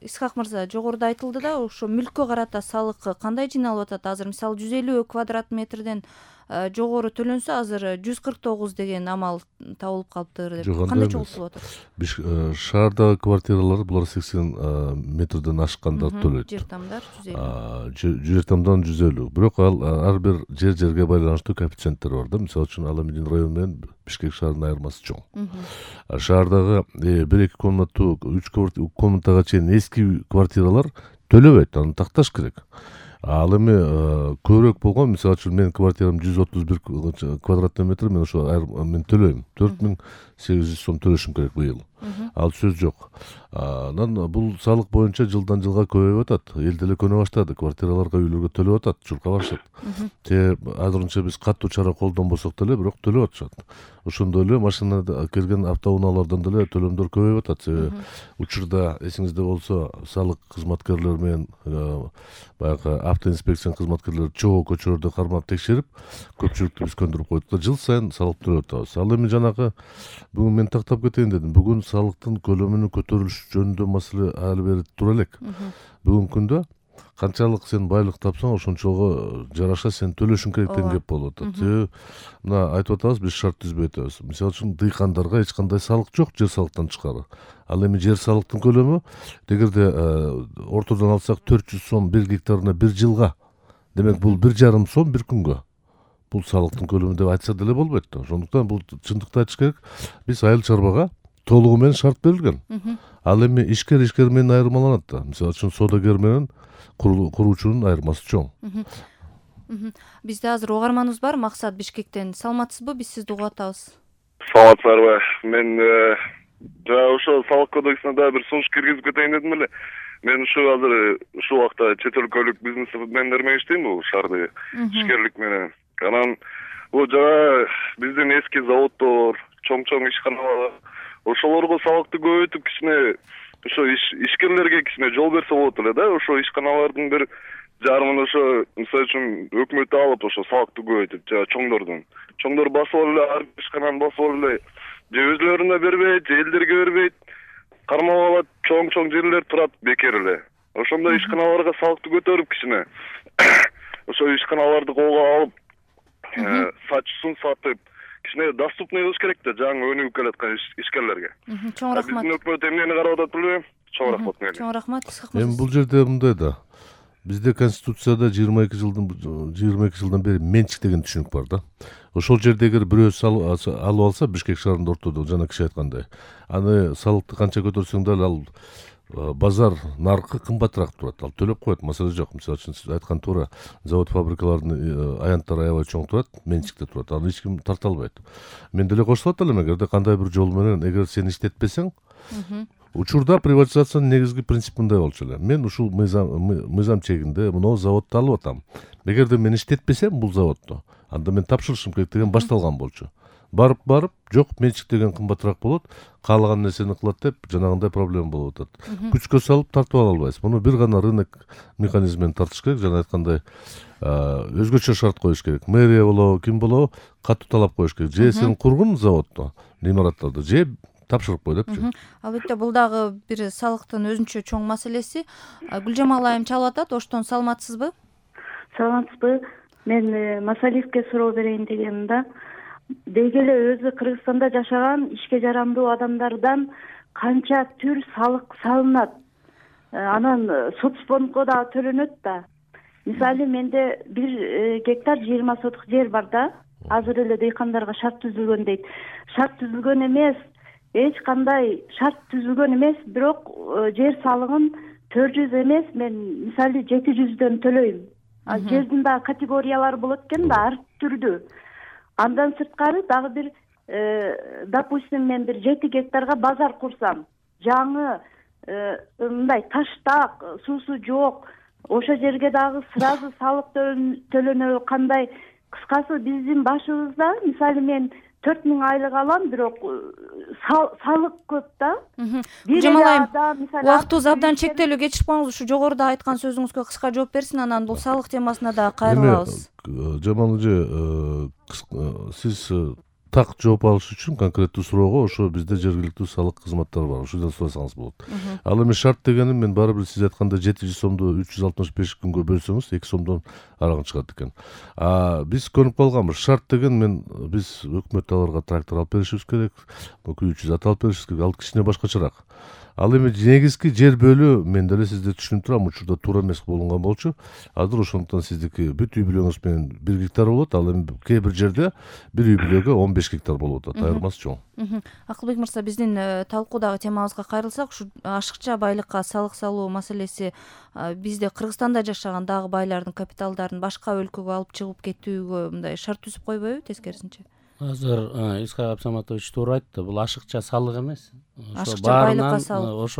Исхак мырза, жогоруда айтылды да, ошо мүлккө карата салык кандай жыйналып атат? Азыр мисалы 150 квадрат метрден жогору төлөнсө, азыр 149 деген амал табылып калыптыр деп. Кандай чогултулуп атат? Шаардагы квартиралар булар 80 метрден ашкандар төлөйт. Жер тамдар 150. Жер тамдан 150. Бирок ал ар бир жерге байланыштуу коэффициенттер бар да. Мисалы үчүн Аламедин району менен Бишкек шаарынын айырмасы чоң. Шаардагы 1-2 комнаттуу 3 комнатага чейин эски квартиралар төлөбөйт, аны такташ керек. Ал эми көбүрөөк болгон, мисалы үчүн менин квартирам 131 квадратный метр, мен ошо мен төлөйм. 4800 сом төлөшүм керек быйыл. Ал сөз жок. Анан бул салык боюнча жылдан жылга көбөйүп атат. Эл деле көнө баштады, квартираларга, үйлөргө төлөп атат, журка барышат. Азырынча биз катуу чара колдонбосок деле, бирок төлөп атышат. Ошондой эле машинада келген автоунаалардан деле төлөмдөр көбөйүп атат. Себеби учурда эсиңизде болсо, салык кызматкерлери менен баягы автоинспекциянын кызматкерлери чогуу көчөлөрдө кармап текшерип, көпчүлүктү биз көндүрүп койдук да, жыл сайын салык төлөп атабыз. Ал эми жанагы бүгүн мен тактап кетейин дедим. Бүгүн салыктын көлөмүнүн көтөрүлүшү жөнүндө маселе али бери тура элек. Бүгүнкү күндө канчалык сен байлык тапсаң, ошончого жараша сен төлөшүң керек деген кеп болуп атат. Себеби мына айтып атабыз, биз шарт түзбөй атабыз. Мисалы үчүн дыйкандарга эч кандай салык жок, жер салыктан тышкары. Ал эми жер салыктын көлөмү эгерде ортодон алсак 400 сом 1 гектарына 1 жылга. Демек бул 1,5 сом 1 күнгө. Бул салыктын көлөмү деп айтса деле болбойт да. Ошондуктан бул чындыкты айтыш керек. Биз айыл чарбага толугу менен шарт берилген. Ал эми ишкер менен айырмаланат да. Мисалы үчүн содагер менен куруучунун айырмасы чоң. Бизде азыр угарманыбыз бар, Максат Бишкектен. Саламатсызбы? Биз сизди угуп атабыз. Саламатсыздарбы? Мен ошо салык кодексине да бир сунуш киргизип кетейин дедим эле. Мен азыр ушул убакта чет өлкөлүк бизнесмендер менен иштейм, бул шаардагы ишкерлик менен. Анан бул жана биздин эски заводдор, чоң ишканалар, ошолорго салыкты көбөйтүп кичине ошо ишкерлерге кичине жол берсе болот эле да. Ошо ишканалардын бир жарымын ошо мисалы үчүн өкмөт алып ошо салыкты көбөйтүп, жана чоңдор басып эле ар ишкананы басып эле же өзлөрүнө бербейт, же элдерге бербейт. Кармап алат, чоң жерлер турат бекер эле. Ошондой ишканаларга салыкты көтөрүп кичине ошо ишканаларды колго алып, сатчысын сатып, кичине доступный кылыш керек да жаңы өнүгүп келаткан ишкерлерге. Чоң рахмат. Биздин өкмөт эмнени карап атат билбейм. Чоң рахмат менен. Чоң рахмат. Эми бул жерде мындай да. Бизде Конституцияда 22 жылдан бери менчик деген түшүнүк бар да. Ошол жерде эгер бирөө алып алса, Бишкек шаарында ортодо жана киши айткандай, аны салыкты канча көтөрсөң дагы ал базар наркы кымбатыраак турат. Ал төлөп коет, маселе жок. Мисалы үчүн сиз айткан туура, завод фабрикалардын аянттары аябай чоң турат, менчикте турат. Аны эч ким тарта албайт. Мен деле кошулат элем, эгерде кандай бир жол менен эгер сен иштетпесең, учурда приватизациянын негизги принципи мындай болчу эле. Мен ушул мыйзам чегинде мына заводду алып атам. Эгерде мен иштетпесем бул заводду, анда мен тапшырышым керек деген башталган болчу. Барып, жок, менчик деген кымбатыраак болот, каалаган нерсени кылат деп жанагындай проблема болуп атат. Күчкө салып тартып ала албайсыз. Муну бир гана рынок механизмин тартыш керек, жана айткандай өзгөчө шарт коюш керек. Мэрия болобу, ким болобу, катуу талап коюш керек. Же сен кургун заводду, имараттарды, же тапшырып кой депчи. Албетте бул дагы бир салыктын өзүнчө чоң маселеси. Гүлжамал айым чалып атат, оштон саламатсызбы? Саламатсызбы? Мен Масалиевке суроо берейин дегеним да. Деги эле өзү Кыргызстанда жашаган ишке жарамдуу адамдардан канча түр салык салынат? Анан соцфондго да төлөнөт да. Мисалы менде 1 гектар 20 соток жер бар да. Азыр эле дыйкандарга шарт түзүлгөн дейт. Шарт түзүлгөн эмес, эч кандай шарт түзүлгөн эмес, бирок жер салыгын 400 эмес, мен мисалы 700дөн төлөйм. Жердин да категориялары болот экен да, ар түрдүү. Андан сырткары дагы бир допустим мен бир 7 гектарга базар курсам, жаңы мындай таштак, суусу жок, ошол жерге дагы сразу салык төлөнө кандай? Кыскасы биздин башыбызда мисалы мен 4000 айлык алам, бирок салык көп да. Жамалайым, убактыбыз абдан чектелүү, кечирип коюңуз. Ушу жогоруда айткан сөзүңүзгө кыска жооп берсин, анан бул салык темасына да кайрылабыз. Жамал эже, сиз так жооп алыш үчүн конкреттүү суроого ошо бизде жергиликтүү салык кызматтары бар, ошодон сурасаңыз болот. Ал эми шарт дегени мен баары бир сиз айткандай 700 сомду 365 күнгө бөлсөңүз 2 сомдон арагын чыгат экен. Биз көнүп калганбыз. Шарт деген биз өкмөт аларга трактор алып беришибиз керек, 300 ат алып беришибиз керек. Ал кичине башкачараак. Ал эми негизги жер бөлүү мен деле сизди түшүнүп турам, учурда туура эмес болунган болчу. Азыр ошондуктан сиздики бүт үй бүлөңүз менен 1 гектар болот, ал эми кээ бир жерде бир үй бүлөгө 15 гектар болуп атат. Айырмасы чоң. Акылбек мырза, биздин талкуудагы темабызга кайрылсак, ушу ашыкча байлыкка салык салуу маселеси бизде Кыргызстанда жашаган дагы байлардын капиталдарын башка өлкөгө алып чыгып кетүүгө мындай шарт түзүп койбойбу, тескерисинче? Азыр Исхак Абсаматович туура айтты. Бул ашыкча салык эмес. Ашыкча байлыкка салык.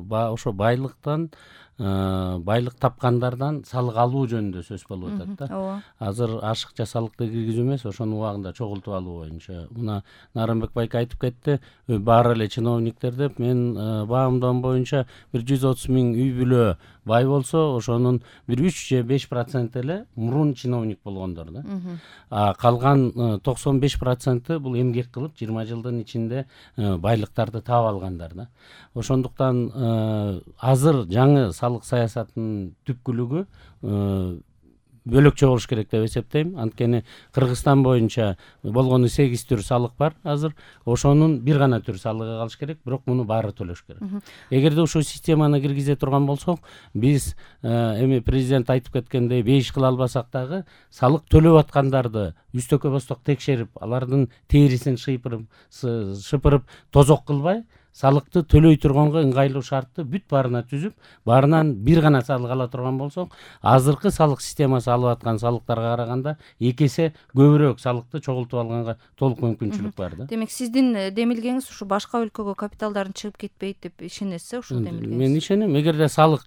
Ошо байлыктан байлык тапкандардан салык алуу жөнүндө сөз болуп атат да. Ооба. Азыр ашыкча салыкты киргизүү эмес, ошонун убагында чогултуп алуу боюнча. Мына Нарымбек байке айтып кетти, баары эле чиновниктер деп. Мен баамдоом боюнча бир 130 000 үй бүлө бай болсо, ошонун бир 3 же 5% эле мурун чиновник болгондор да. Калган 95% бул эмгек кылып 20 жылдын ичинде байлыктарды таап алгандар да. Ошондуктан азыр жаңы салык саясатынын түпкүлүгү бөлөкчө болуш керек деп эсептейм. Анткени Кыргызстан боюнча болгону 8 түр салык бар азыр. Ошонун бир гана түр салыгы калыш керек, бирок муну баары төлөш керек. Эгерде ушул системаны киргизе турган болсок, биз эми президент айтып кеткендей 5 кыла албасак дагы салык төлөп аткандарды үстөккө босток текшерип, алардын терисин шыпырып тозок кылбай, салыкты төлөй турганга ыңгайлуу шартты бүт баарына түзүп, баарынан бир гана салык ала турган болсок, азыркы салык системасы алып аткан салыктарга караганда 2 эсе көбүрөөк салыкты чогултуп алганга толук мүмкүнчүлүк бар да. Демек, сиздин демилгеңиз ушу башка өлкөгө капиталдарын чыгып кетпейт деп ишенесиз, ушул демилгеңиз? Мен ишенем. Эгерде салык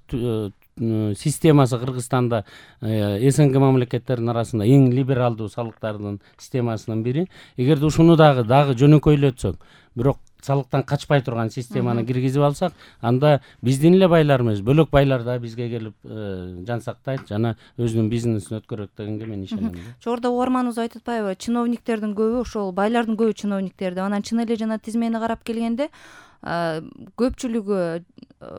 системасы Кыргызстанда СНГ мамлекеттеринин арасында эң либералдуу салыктардын системасынын бири. Эгерде ушуну дагы жөнөкөйлөтсөк, бирок салыктан качпай турган системаны киргизип алсак, анда биздин эле байлар эмес, бөлөк байлар да бизге келип жансактайт жана өзүнүн бизнесин өткөрөт дегенге мен ишенем. Жогоруда угарманыбыз айтып атпайбы, чиновниктердин көбү, ошол байлардын көбү чиновниктер деп. Анан чын эле жана тизмени карап келгенде көпчүлүгү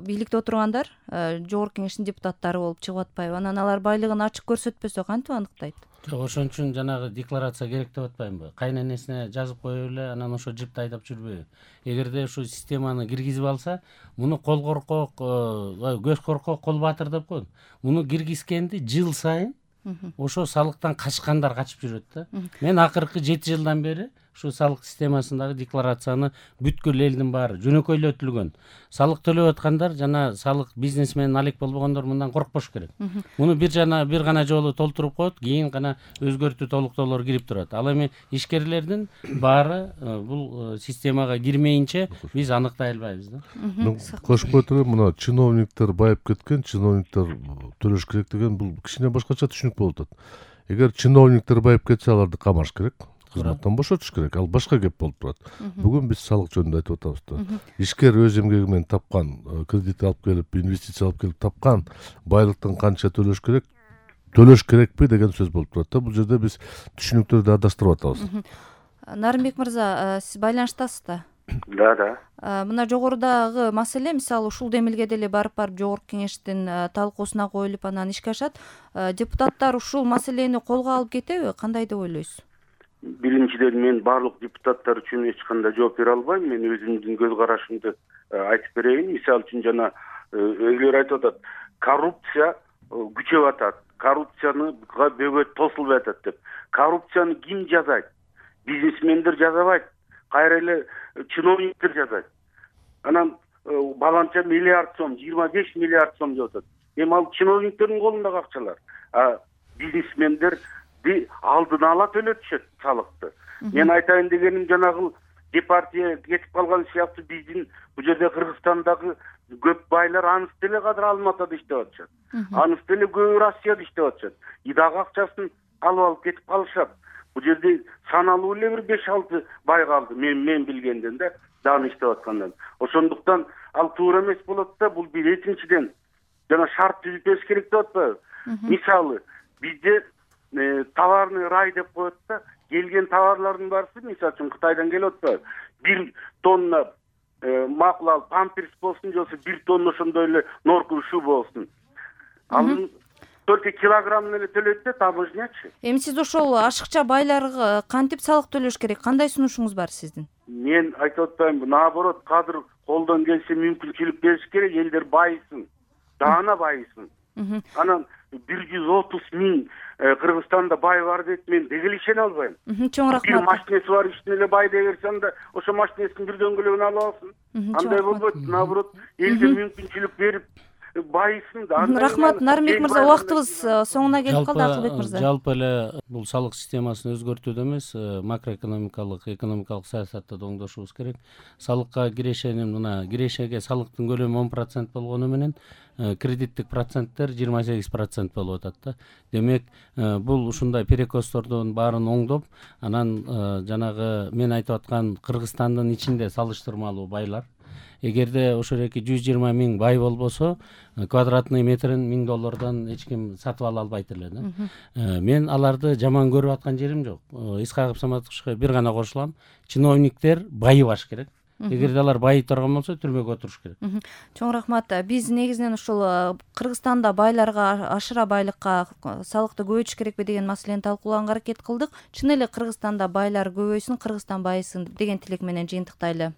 бийликте отургандар жогорку кеңештин депутаттары болуп чыгып атпайбы? Анан алар байлыгын ачык көрсөтпөсө кантип аныктайт? Жок, ошон үчүн жанагы декларация керек деп атпаймынбы? Кайненесине жазып коюп эле, анан ошо жипти айдап жүрбөйбү? Эгерде ушу системаны киргизип алса, муну кол коркок, көз коркок, кол баатыр деп коет. Муну киргизгенди жыл сайын ошо салыктан качкандар качып жүрөт да. Мен акыркы 7 жылдан бери ушу салык системасындагы декларацияны бүткүл элдин баары жөнөкөйлөтүлгөн. Салык төлөп аткандар жана салык бизнес менен алек болбогондор мындан коркпош керек. Муну бир гана жолу толтуруп коет, кийин гана өзгөртүү толуктоолор кирип турат. Ал эми ишкерлердин баары бул системага кирмейинче биз аныктай албайбыз да. Кошуп кое турам, мына чиновниктер байып кеткен, чиновниктер төлөш керек деген бул кичине башкача түшүнүк болуп атат. Эгер чиновниктер байып кетсе, аларды камаш керек, кызматтан бошотуш керек. Ал башка кеп болуп турат. Бүгүн биз салык жөнүндө айтып атабыз да. Ишкер өз эмгеги менен тапкан, кредит алып келип, инвестиция алып келип тапкан байлыктан канча төлөш керекпи деген сөз болуп турат да. Бул жерде биз түшүнүктөрдү адаштырып атабыз. Нарымбек мырза, сиз байланыштасыз да? Да. Мына жогорудагы маселе, мисалы ушул демилге деле барып жогорку кеңештин талкуусуна коюлуп анан ишке ашат. Депутаттар ушул маселени колго алып кетеби? Кандай деп ойлойсуз? Биринчиден, мен барлык депутаттар үчүн эч кандай жооп бере албайм. Мен өзүмдүн көз карашымды айтып берейин. Мисалы үчүн жана өйлөр айтып атат, коррупция күчөп атат, коррупцияга бөгөт тосулуп атат деп. Коррупцияны ким жазайт? Бизнесмендер жазабайт, кайра эле чиновниктер жазайт. Анан баланча миллиард сом, 25 миллиард сом деп атат. Эми ал чиновниктердин колундагы акчалар. Бизнесмендер алдын ала төлөтүшөт салыкты. Мен айтайын дегеним, жанагы департия кетип калган сыяктуу биздин бул жерде Кыргызстандагы көп байлар аныс деле кадыр Алматыда иштеп атышат. Аныс деле көбү Россияда иштеп атышат. Идак акчасын алып кетип калышат. Бул жерде саналуу эле бир 5-6 бай калды. Мен билгенден да дагы иштеп аткандан. Ошондуктан ал туура эмес болот да. Бул бир экинчиден жана шарт түзүп бериш керек деп атпайбы? Мисалы, бизде товарный рай деп коет да, келген товарлардын баарысы мисалы үчүн Кытайдан келип атпайбы, 1 тонна макул ал памперс болсун, же болбосо 1 тонна ошондой эле норковый шуба болсун. Ал только килограммын эле төлөйт да таможнячы. Эми сиз ошол ашыкча байларга кантип салык төлөш керек? Кандай сунушуңуз бар сиздин? Мен айтып атпаймынбы, наоборот, кадыр колдон келсе мүмкүнчүлүк бериш керек, элдер байысын, даана байысын. Анан 130 000 Кыргызстанда бай бар дейт, мен деги эле ишене албайм. Чоң рахмат. Бир машинеси бар иштин эле бай дей берсе, анда ошо машинесин бир дөңгөлөгүн алып алсын. Андай болбойт, наоборот, элге мүмкүнчүлүк берип байысын да. Рахмат, Нарымбек мырза, убактыбыз соңуна келип калды. Акылбек мырза. Жалпы эле бул салык системасын өзгөртүүдө эмес, макроэкономикалык, экономикалык саясатты да оңдошубуз керек. Салыкка кирешенин мына кирешеге салыктын көлөмү 10% болгону менен кредиттик проценттер 28% болуп атат да. Демек, бул ушундай перекостордун баарын оңдоп, анан жанагы мен айтып аткан Кыргызстандын ичинде салыштырмалуу байлар, эгерде ошоеки 120 000 бай болбосо, квадратный метрин $1000 эч ким сатып ала албайт эле да. Мен аларды жаман көрүп аткан жерим жок. Исхаков Саматовичке бир гана кошулам. Чиновниктер байыбаш керек. Эгерде алар байый турган болсо, түрмөгө отуруш керек. Чоң рахмат. Биз негизинен ушул Кыргызстанда байларга, ашыра байлыкка салыкты көбөйтүш керекпи деген маселени талкуулаганга аракет кылдык. Чын эле Кыргызстанда байлар көбөйсүн, Кыргызстан байысын деген тилек менен жыйынтыктайлы.